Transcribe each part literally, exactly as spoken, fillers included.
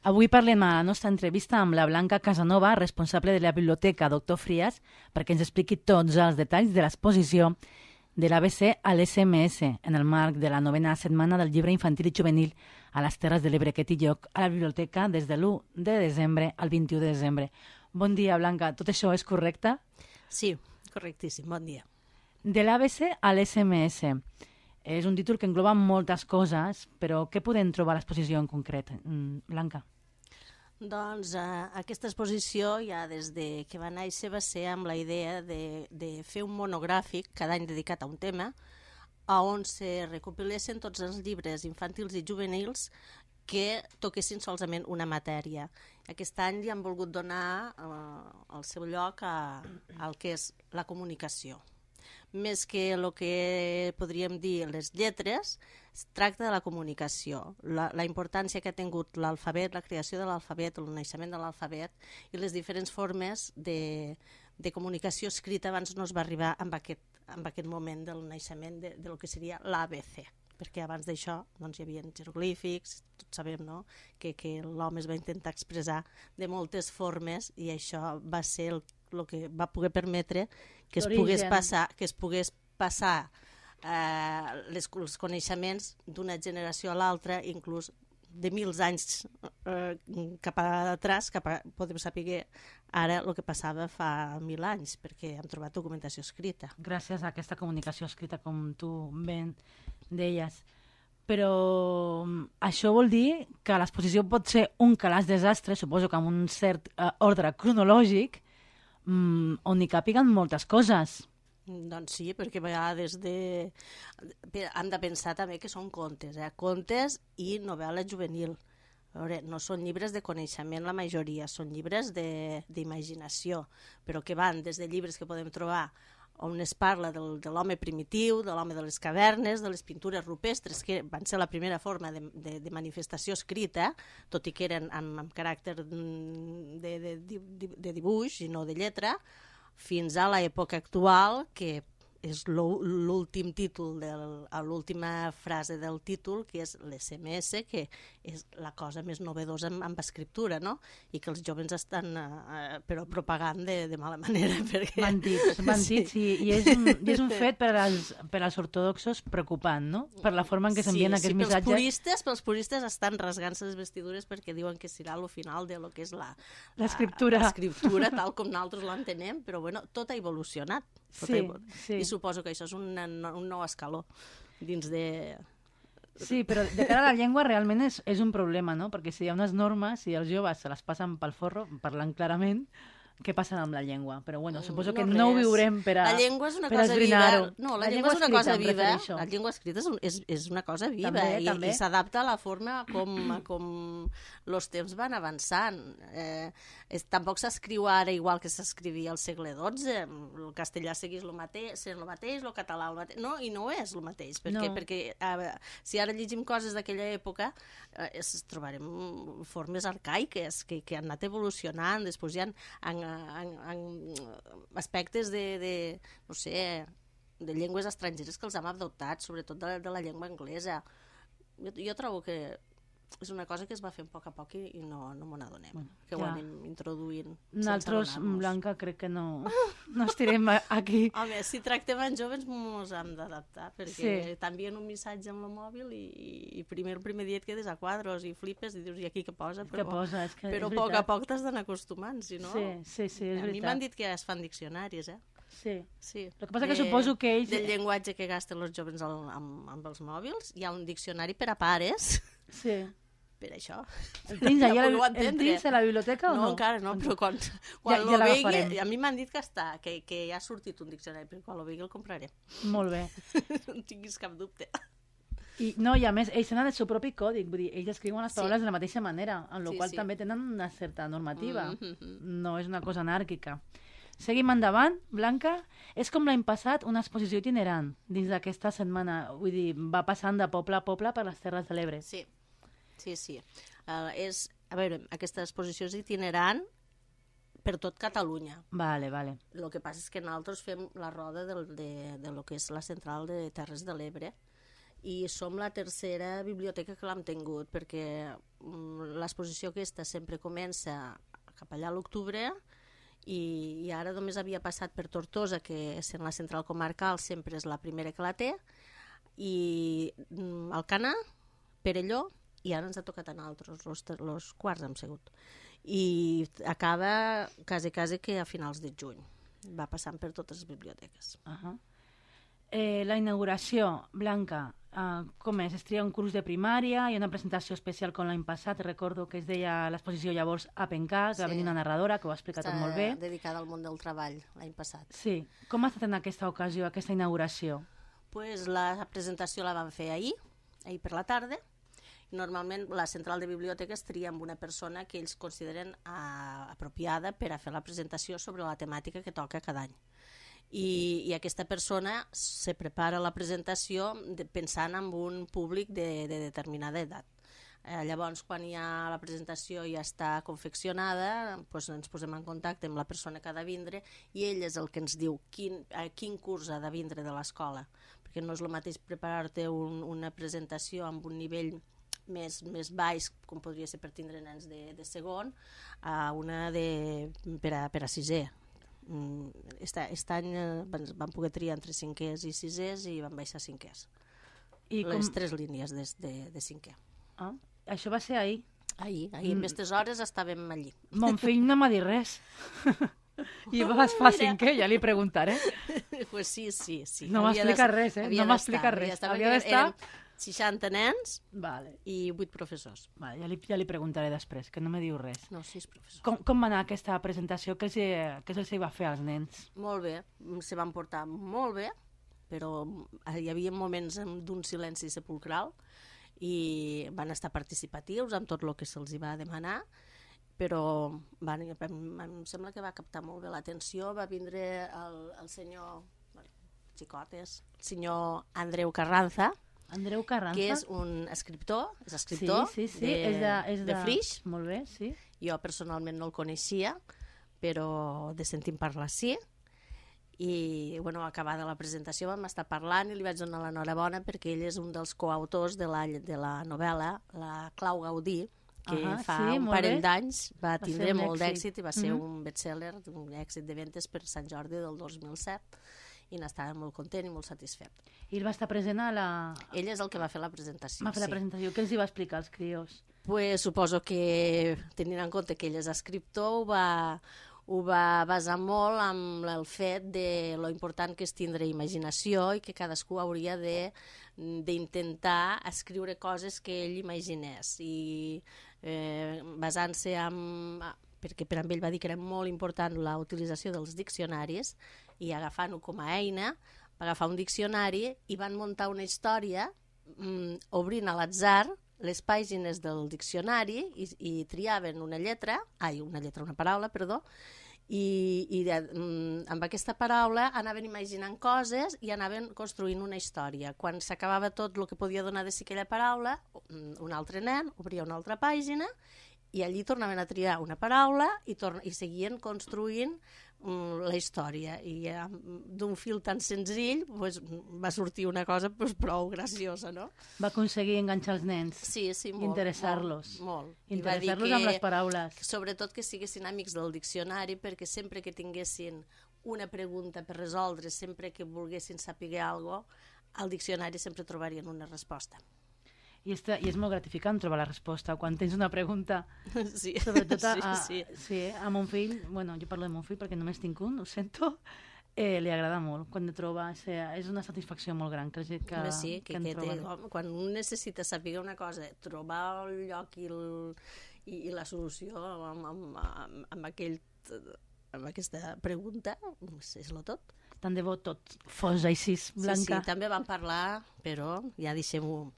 Avui parlem a la nostra entrevista amb la Blanca Casanova, responsable de la Biblioteca Doctor Frías, perquè ens expliqui tots els detalls de l'exposició de l'A B C a l'S M S en el marc de la novena setmana del llibre infantil i juvenil a les Terres de l'Ebre que té lloc a la biblioteca des de l'u de desembre al vint-i-u de desembre. Bon dia, Blanca. Tot això és correcte? Sí, correctíssim. Bon dia. De l'A B C a l'S M S. És un títol que engloba moltes coses, però què podem trobar a l'exposició en concret, Blanca? Doncs eh, aquesta exposició ja des de que va néixer va ser amb la idea de, de fer un monogràfic cada any dedicat a un tema on se recopilessin tots els llibres infantils i juvenils que toquessin solament una matèria. Aquest any li han volgut donar eh, el seu lloc a, al que és la comunicació. Més que el que podríem dir les lletres, es tracta de la comunicació, la, la importància que ha tingut l'alfabet, la creació de l'alfabet, el naixement de l'alfabet i les diferents formes de, de comunicació escrita abans no es va arribar amb aquest, amb aquest moment del naixement de, de lo que seria l'A B C, perquè abans d'això doncs, hi havia jeroglífics, tots sabem no? que, que l'home es va intentar expressar de moltes formes i això va ser el el que va poder permetre que es pogués passar, que es pogués passar eh, les, els coneixements d'una generació a l'altra, inclús de mils anys eh, cap a atrás, cap a, podem saber ara el que passava fa mil anys, perquè hem trobat documentació escrita. Gràcies a aquesta comunicació escrita, com tu ben deies. Però això vol dir que l'exposició pot ser un calaix desastre, suposo que amb un cert eh, ordre cronològic, Mm, on hi càpiguen moltes coses. Doncs sí, perquè a vegades de... hem de pensar també que són contes, eh? Contes i novel·la juvenil. A veure, no són llibres de coneixement la majoria, són llibres d'imaginació, però que van des de llibres que podem trobar on es parla del, de l'home primitiu, de l'home de les cavernes, de les pintures rupestres, que van ser la primera forma de, de, de manifestació escrita, tot i que eren amb, amb caràcter de, de, de, de dibuix i no de lletra, fins a l'època actual, que és l'últim títol, l'última frase del títol, que és l'S M S, que és la cosa més novedosa amb, amb escriptura, no? I que els joves estan eh, però propagant de, de mala manera. Perquè... M'han dit, m'han dit, sí, i és un, i és un fet per als, per als ortodoxos preocupant, no? Per la forma en què s'envien sí, aquests sí, missatges. Puristes, pels puristes estan rasgant-se les vestidures perquè diuen que serà el final de lo que és la... L'escriptura. L'escriptura, tal com nosaltres l'entenem, però bueno, tot ha evolucionat. Tot sí, ha... sí. I suposo que això és un, un nou escaló dins de... Sí, però de cara a la llengua realment és, és un problema, no? Perquè si hi ha unes normes i els joves se les passen pel forro, parlant clarament, què passa amb la llengua? Però bueno, suposo que no, no ho viurem per a La llengua és una per cosa viva. No, la, la llengua, llengua és una cosa viva. Refereixo. La llengua escrita és, un, és, és una cosa viva també, i, també. i s'adapta a la forma com, com els temps van avançant. Eh, és, tampoc s'escriu ara igual que s'escrivia al segle dotze. El castellà segueix el mateix, el mateix, el català el mateix. No, i no és el mateix, perquè, no. perquè eh, si ara llegim coses d'aquella època eh, es trobarem formes arcaiques que, que han anat evolucionant. Després hi ha en, en, en aspectes de, de, no sé, de llengües estrangeres que els hem adoptat, sobretot de, de la llengua anglesa. Jo, jo trobo que és una cosa que es va fent a poc a poc i, i no, no m'ho n'adonem, bueno, que ja. Ho anem introduint. Nosaltres, Blanca, crec que no, no estirem aquí. Home, si tractem en joves ens hem d'adaptar, perquè sí. T'envien un missatge amb el mòbil i, i primer el primer dia et quedes a quadros i flipes i dius, i aquí què posa? Però, què posa? És que però és a poc a poc t'has d'anar acostumant, si no... Sí, sí, sí, és a veritat. mi m'han dit que es fan diccionaris, eh? Sí. sí. El que passa de, que suposo que ells... Del llenguatge que gasten els joves al, amb, amb els mòbils, hi ha un diccionari per a pares. Sí. Per això. El tens allà ja el tens a la biblioteca o no? No, encara no, però quan, quan ja, ja vegui... A mi m'han dit que està, que, que ja ha sortit un diccionari, però quan el vegui el compraré. Molt bé. No tinguis cap dubte. I, no, i a més, ells tenen el seu propi còdic, vull dir, ells escriuen les paraules sí. de la mateixa manera, en la sí, qual sí. també tenen una certa normativa. Mm-hmm. No és una cosa anàrquica. Seguim endavant, Blanca. És com l'any passat una exposició itinerant dins d'aquesta setmana. Vull dir, va passant de poble a poble per les Terres de l'Ebre. Sí, sí, sí. Uh, és, a veure, aquesta exposició és itinerant per tot Catalunya. Vale, vale. El que passa és que nosaltres fem la roda del, de, de lo que és la central de Terres de l'Ebre i som la tercera biblioteca que l'hem tingut, perquè l'exposició aquesta sempre comença cap allà a l'octubre i, i ara només havia passat per Tortosa, que sent la central comarcal sempre és la primera que la té, i Alcanar, Perelló, i ara ens ha tocat a nosaltres, els quarts hem sigut. I acaba quasi, quasi que a finals de juny. Va passant per totes les biblioteques. Uh -huh. eh, la inauguració, Blanca, uh, com és? Es tria un curs de primària, hi ha una presentació especial com l'any passat, recordo que es deia l'exposició llavors Apencar, que sí. Va venir una narradora que ho ha explicat Està tot molt bé. dedicada al món del treball l'any passat. Sí. Com ha estat en aquesta ocasió, aquesta inauguració? Pues la presentació la van fer ahir, ahir per la tarda. Normalment la central de biblioteques tria amb una persona que ells consideren uh, apropiada per a fer la presentació sobre la temàtica que toca cada any. I, i aquesta persona se prepara la presentació de, pensant en un públic de, de determinada edat. Eh, llavors, quan ja la presentació ja està confeccionada, doncs ens posem en contacte amb la persona que ha de vindre i ell és el que ens diu quin, a quin curs ha de vindre de l'escola, perquè no és el mateix preparar-te un, una presentació amb un nivell més, més baix, com podria ser per tindre nens de, de segon, a una de, per, a, per a sisè. Aquest any van, van poder triar entre cinquers i sisès i van baixar cinquers. I les com... tres línies de, de, de cinquè. Ah, això va ser ahir? Ahir, ahir mm. en aquestes hores estàvem allí. Mon fill no m'ha dit res. I vas fa cinquè, ja li preguntaré. Pues sí, sí, sí. No m'ha explicat res, eh? No m'ha explicat res. Havia d'estar... seixanta nens vale. I vuit professors. Vale, ja, li, ja li preguntaré després, que no me diu res. No, sis professors. Com, com va anar aquesta presentació? Què els, els va fer als nens? Molt bé, se van portar molt bé, però hi havia moments d'un silenci sepulcral i van estar participatius amb tot el que se'ls va demanar, però van, em sembla que va captar molt bé l'atenció. Va vindre el, el senyor, bueno, xicotes, el senyor Andreu Carranza, Andreu Carranza, que és un escriptor, és escriptor sí, sí, sí. de, és de, és de... de Flix. Molt bé, sí. Jo personalment no el coneixia, però de sentir parlar sí. I, bueno, acabada la presentació vam estar parlant i li vaig donar l'enhorabona perquè ell és un dels coautors de la, de la novel·la, la Clau Gaudí, que uh -huh, fa sí, un parell d'anys va, va tindre molt d'èxit i va ser uh -huh. un best-seller, un èxit de ventes per Sant Jordi del dos mil set. I n'estava molt content i molt satisfet. I ell va estar present a la... Ell és el que va fer la presentació, Va fer sí. la presentació. Què els hi va explicar als crios? Pues suposo que, tenint en compte que ell és escriptor, ho va, ho va basar molt amb el fet de lo important que és tindre imaginació i que cadascú hauria de d'intentar escriure coses que ell imaginés. I eh, basant-se en... perquè per a ell va dir que era molt important la utilització dels diccionaris, i agafant-ho com a eina, va agafar un diccionari i van muntar una història mm, obrint a l'atzar les pàgines del diccionari i, i triaven una lletra, ai, una lletra, una paraula, perdó, i, i de, mm, amb aquesta paraula anaven imaginant coses i anaven construint una història. Quan s'acabava tot el que podia donar de si aquella paraula, un altre nen obria una altra pàgina i allí tornaven a triar una paraula i, i seguien construint la història, i eh, d'un fil tan senzill pues, va sortir una cosa pues, prou graciosa, no? Va aconseguir enganxar els nens. Sí, sí, molt. Interessar-los. Molt, molt. Interessar-los amb les paraules. Sobretot que siguessin amics del diccionari, perquè sempre que tinguessin una pregunta per resoldre, sempre que volguessin saber alguna cosa, al diccionari sempre trobarien una resposta. I, està, I és molt gratificant trobar la resposta quan tens una pregunta. Sí, sobretot a, a, sí, sí. Sí, a mon fill, bueno, jo parlo de mon fill perquè només tinc un, ho sento, eh, li agrada molt quan de troba, o sigui, és una satisfacció molt gran que, que, Home, sí, que, que, que té, home, quan un necessita saber una cosa, trobar el lloc i, el, i, i la solució amb, amb, amb, amb, aquell, amb aquesta pregunta, és lo tot. Tant de bo tot fos així, Blanca. Sí, sí, també vam parlar, però ja deixem-ho,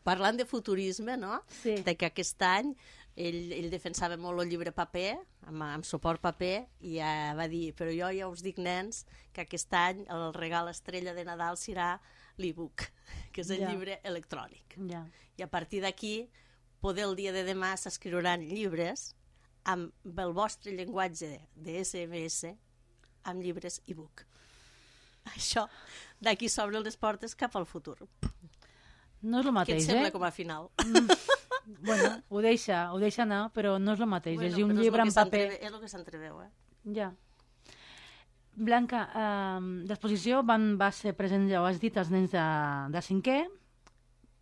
parlant de futurisme, no? Sí. De que aquest any ell, ell defensava molt el llibre paper, amb, amb suport paper, i ja va dir, però jo ja us dic, nens, que aquest any el regal estrella de Nadal serà l'e-book, que és el ja. llibre electrònic. Ja. I a partir d'aquí, poder el dia de demà s'escriuran llibres amb el vostre llenguatge de esse eme esse, amb llibres e-book. Això, d'aquí s'obren les portes cap al futur. No és el mateix, Què et sembla eh? com a final? Mm, bueno, ho deixa, ho deixa anar, però no és el mateix. Bueno, Llegir un però és llibre lo en que paper... s'entreve- És el que s'entreveu, eh? Ja. Blanca, eh, l'exposició van, va ser present, ja ho has dit, als nens de, de cinquè,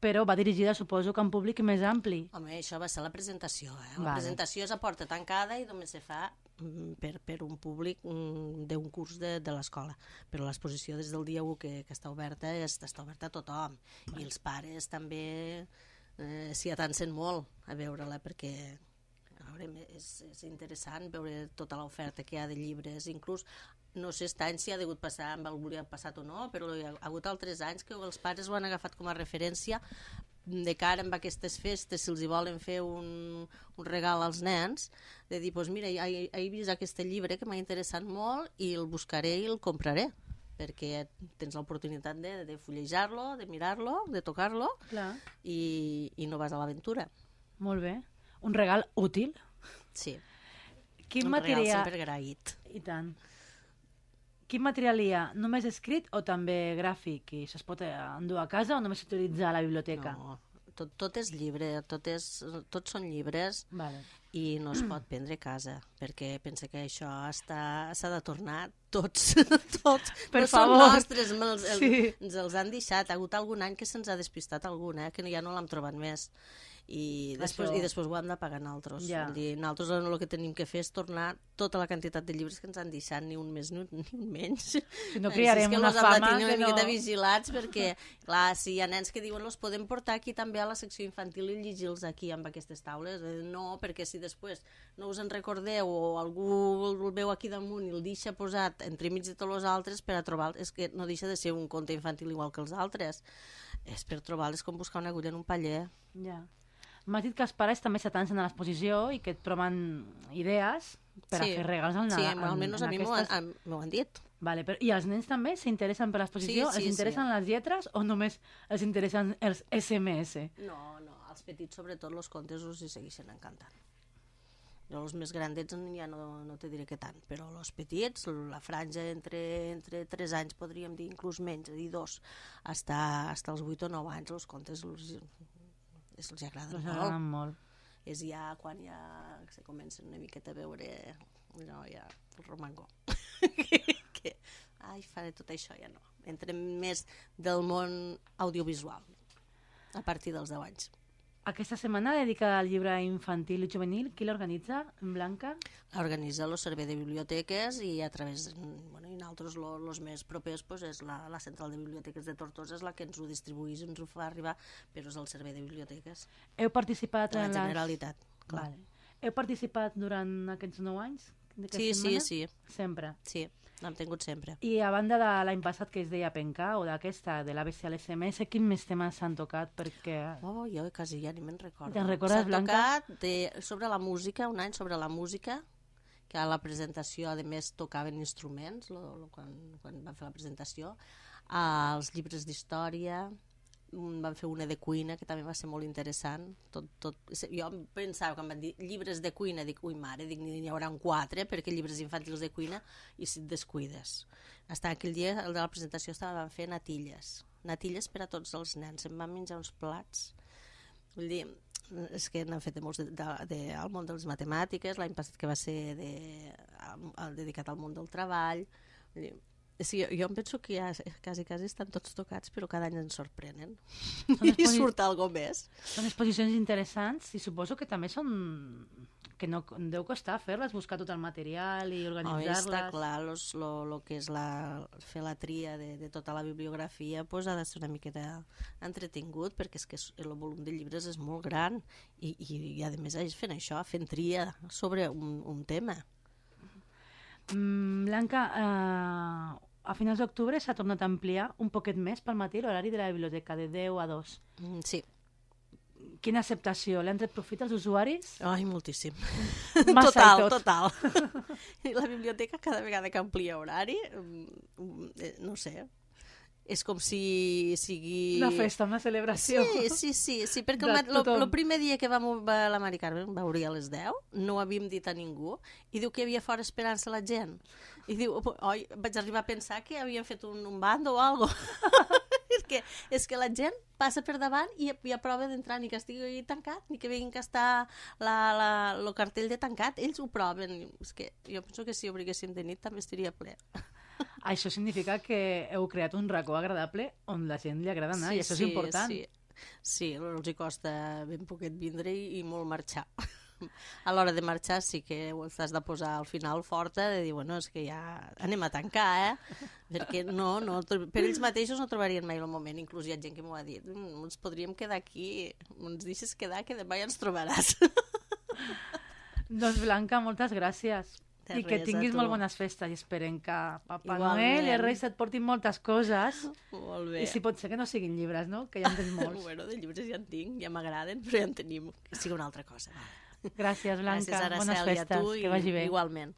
però va dirigida, suposo, que a un públic més ampli. Home, això va ser la presentació, eh? La Vale. presentació és a porta tancada i només se fa mm, per, per un públic mm, d'un curs de, de l'escola. Però l'exposició des del dia u que, que està oberta és, està oberta a tothom. Vale. I els pares també eh, s'hi atancen molt a veure-la perquè a veure, és, és interessant veure tota l'oferta que hi ha de llibres. Inclús, no sé aquest any si ha degut passar amb algú li ha passat o no, però hi ha hagut altres anys que els pares ho han agafat com a referència de cara amb aquestes festes, si els hi volen fer un, un regal als nens, de dir, doncs mira, he, he vist aquest llibre que m'ha interessat molt i el buscaré i el compraré, perquè tens l'oportunitat de, de fullejar-lo, de mirar-lo, de tocar-lo i, i no vas a l'aventura. Molt bé. Un regal útil. Sí. Quin un material... regal sempre agraït. I tant. Quin material hi ha? Només escrit o també gràfic? I això es pot endur a casa o només s'utilitza a la biblioteca? No, tot, tot és llibre, tot és, tots són llibres. Vale. I no es pot prendre a casa, perquè pensa que això s'ha de tornar tots, tots. Per no favor. Són nostres, els, el, Sí. ens els han deixat. Ha hagut algun any que se'ns ha despistat algun, eh, que ja no l'hem trobat més. I després, Això- i després ho hem de pagar nosaltres. Ja. Vull dir, nosaltres el que tenim que fer és tornar tota la quantitat de llibres que ens han deixat, ni un més ni un, ni un menys. Si no crearem Així és que una los hem de fama tenir una que no- miqueta vigilats, perquè, clar, si hi ha nens que diuen los podem portar aquí també a la secció infantil i llegir-los aquí amb aquestes taules. Eh, No, perquè si després no us en recordeu o algú el veu aquí damunt i el deixa posat entremig de tots els altres per a trobar... És que no deixa de ser un conte infantil igual que els altres. És per trobar-les com buscar una agulla en un paller. Ja. M'has dit que els pares també s'atancen a l'exposició i que et proven idees per Sí. a fer regals al Sí, Nadal. almenys a mi m'ho aquestes... han, m'ho han dit. Vale, però, I els nens també s'interessen per l'exposició? Sí, sí, els interessen sí. les lletres o només els interessen els esse eme esse? No, no, als petits sobretot els contes us hi segueixen encantant. Jo els més grandets ja no, no te diré que tant, però els petits, la franja entre, entre tres anys, podríem dir inclús menys, és a dir, dos, hasta, hasta els vuit o nou anys, els contes els, els, els agraden Els molt. agraden molt. És ja quan ja se comencen una miqueta a veure no, ja, el romangó. que, ai, faré tot això, ja no. Entrem més del món audiovisual, a partir dels deu anys. Aquesta setmana dedicada al llibre infantil i juvenil, qui l'organitza? En Blanca? Organitza el servei de biblioteques i a través, bueno, i nosaltres els més propers pues, és la, la central de biblioteques de Tortosa, és la que ens ho distribuïs, ens ho fa arribar, però és el servei de biblioteques Heu participat de la en les... Generalitat. Clar. Vale. Heu participat durant aquests nou anys? d'aquesta Sí, sí, setmana? sí, Sempre. sí, l'hem tingut sempre. I a banda de l'any passat que es deia Penca, o d'aquesta, de l'A B C a l'S M S, quins més temes s'han tocat? Perquè... Oh, jo quasi ja ni me'n recordo. Te'n recordes, S'ha Blanca? tocat de, sobre la música, un any sobre la música, que a la presentació, a més, tocaven instruments, lo, lo, quan, quan van fer la presentació, als llibres d'història, mm, van fer una de cuina, que també va ser molt interessant. Tot, tot, jo pensava, quan van dir llibres de cuina, dic, ui mare, dic, n'hi haurà un quatre, perquè llibres infantils de cuina, i si et descuides. Hasta aquell dia, el de la presentació, estaven fent natilles. Natilles per a tots els nens. Em van menjar uns plats. Vull dir, és que n'han fet de molts de, de, de, al món de les matemàtiques, l'any passat que va ser de, al, al, dedicat al món del treball. Vull dir, sí, jo, jo em penso que ja quasi, quasi estan tots tocats, però cada any ens sorprenen. I exposi- surt algo més. Són exposicions interessants i suposo que també són... que no deu costar fer-les, buscar tot el material i Home, està organitzar-les. clar, los, lo, lo que és la, fer la tria de, de tota la bibliografia pues, ha de ser una miqueta entretingut, perquè és que és- el volum de llibres és molt gran i, i, i a més fent això, fent tria sobre un, un tema. Mm, Blanca, eh, a finals d'octubre s'ha tornat a ampliar un poquet més pel matí l'horari de la biblioteca, de deu a dos. Mm, sí. Quina acceptació? L'han tret profit als usuaris? Ai, moltíssim. Massa total, i tot. total. I la biblioteca cada vegada que amplia horari, mm, eh, no sé, és com si sigui... Una festa, una celebració. Sí, sí, sí, sí perquè De el, mat- lo, tothom. lo primer dia que vam va la Mari Carmen va obrir a les deu, no ho havíem dit a ningú, i diu que hi havia fora esperant-se la gent. I diu, oi, vaig arribar a pensar que havien fet un, un bando o algo. és, que, és que la gent passa per davant i hi ha prova d'entrar, ni que estigui tancat, ni que vinguin que està el cartell de tancat, ells ho proven. És que jo penso que si obriguéssim de nit també estaria ple. Això significa que heu creat un racó agradable on la gent li agrada anar, sí, i això sí, és important. Sí, sí, els hi costa ben poquet vindre i, i molt marxar. A l'hora de marxar sí que ho has de posar al final forta, de dir, bueno, és que ja anem a tancar, eh? Perquè no, no, per ells mateixos no trobarien mai el moment. Inclús hi ha gent que m'ho ha dit, mm, ens podríem quedar aquí, ens deixes quedar que demà ja ens trobaràs. Doncs Blanca, moltes gràcies. De I que res, tinguis a tu. molt bones festes i esperem que Papa Igualment. Noel i els Reis et portin moltes coses. Molt bé. I si pot ser que no siguin llibres, no? Que ja en tens molts. Bueno, de llibres ja en tinc, ja m'agraden, però ja en tenim. Que sigui una altra cosa. Gràcies, Blanca. Gràcies, Bones Araceli, a festes. tu i Que vagi bé. igualment.